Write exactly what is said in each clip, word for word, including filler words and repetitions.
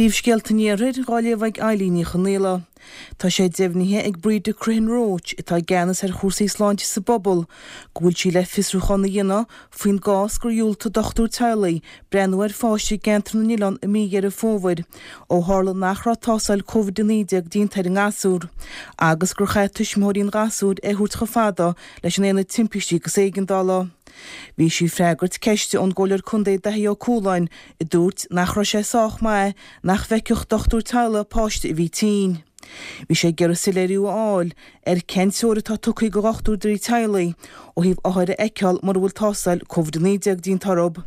Príomhscéalta an Iarthair dhá léamh ag Eilín Ní Chonaola. Tá sé deimhnithe ag Breda Crehan Roche, atá i gceannas ar chúrsaí sláinte sa bpobal, go bhfuil sí le fiosrúchán a dhéanamh faoin gcás gur dhiúltaigh dochtúir teaghlaigh breathnú ar pháiste i gceantar na nOileán i mí Dheireadh Fómhair ó tharla nach raibh tástáil Covid a naoi déag déanta ar an ngasúr agus gur chaith tuismitheoirí an ghasúir é a thabhairt chomh fada leis an Aonad Timpistí agus Éigeandála. Bhí sí ag freagairt ceiste ón gComhairleoir Contae Daithí Ó Cualáin a dúirt nach raibh sé sách maith nach bhfeicfeadh dochtúir teaghlaigh páiste a bhí tinn. Bhí sé ag iarraidh soiléiriú a fháil ar cén treoir atá tugtha do dhochtúirí teaghlaigh ó thaobh othair a fheiceáil mura bhfuil tástáil Covid a naoi déag déanta orthu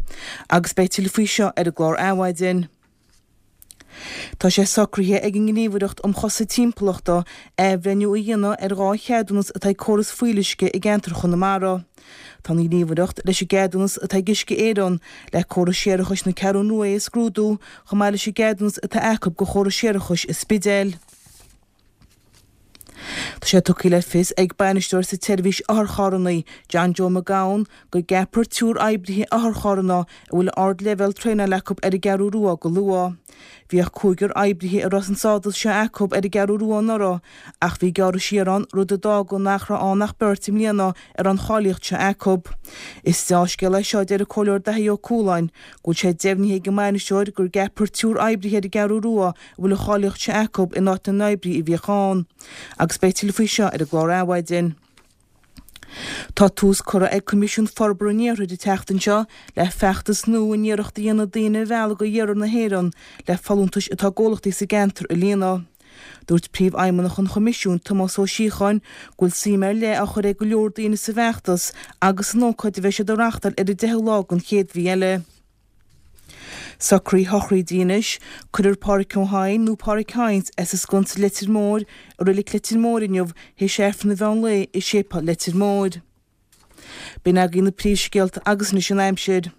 agus beidh tuilleadh faoi seo ar an gclár Adhmhaidin. Tá sé socraithe ag an nGníomhaireacht um Chosaint Timpeallachta athbhreithniú a dhéanamh ar dhá cheadúnas atá ag córas fuíolluisce i gceantar Chonamara. Tá an Ghníomhaireacht leis an gceadúnas atá ag Uisce Éireann le córas séarachais na Ceathrún Rua a scrúdú chomh maith leis an gceadúnas atá acu do chóras séarachais an Spidéil. Tá sé tugtha le fios ag bainisteoir sa tseirbhís otharcharranna, John Joe McGowan, go gceapfar triúr oibrithe otharcharranna a bhfuil ardleibhéal traenála acu ar an gCeathrú Rua go luath. Bhíodh cúigear oibrithe a raibh an stádas seo acu ar an gCeathrú Rua anuraidh ach bhí gearradh siar ann, rud a d'fhág nach raibh ann ach beirt i mbliana a raibh an cháilíocht seo acu. Is deá-scéal é seo, a deir an Comhairleoir Daithí Ó Cualáin, go bhfuil sé deimhnithe ag an mbainisteoir go gceapfar triúr oibrithe ar an gCeathrú Rua a bhfuil an cháilíocht seo acu in áit na n-oibrithe a bhíodh ann. Agus beidh tuilleadh faoi seo ar an gclár Adhmhaidin. Tá tús curtha ag Coimisiún Forbartha an Iarthair an tseachtain seo le feachtas nua in iarracht a dhéanamh daoine a mhealladh go hiarthar na hÉireann le folúntais atá i gcomhlachtaí sa gceantar a líonadh. Dúirt Príomhfheidhmeannach an Choimisiúin, Tomás Ó Síocháin, go bhfuil suim ar leith á chur ag go leor daoine sa bhfeachtas agus san ócáid a bheidh siad a reáchtáil ar an deichiú lá den chéad mhí eile. Socruithe sochraide anois, Cuirfear Páraic Ó hEidhin nó Páraic Hynes as an Sconsa Leitir Móir i Reilig Leitir Móir inniu théis Aifreann an mheán lae i Séipéal Leitir Móir. B'in agaibh na príomhscéalta agus anois an aimsir.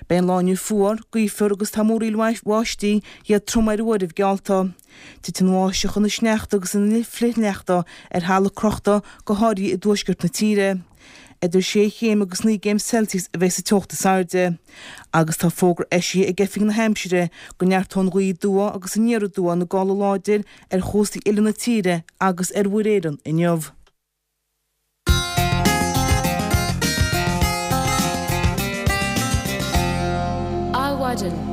Beidh an lá inniu fuar, gaofar agus tá múraíl bháistí, iad trom ar uairibh, geallta. Titfidh an bháisteach ina sneachta agus ina flichshneachta ar thalamh crochta, go háirithe i dtuaisceart na tíre. Idir sé chéim agus naoi gcéim Celsius a bheidh sa teocht is airde. Agus tá fógra eisithe ag Oifig na hAimsire go neartóidh an ghaoth aduaidh agus aniar aduaidh ina gála láidir ar chóstaí uile na tíre agus ar Mhuir Éireann inniu. Adhmhaidin.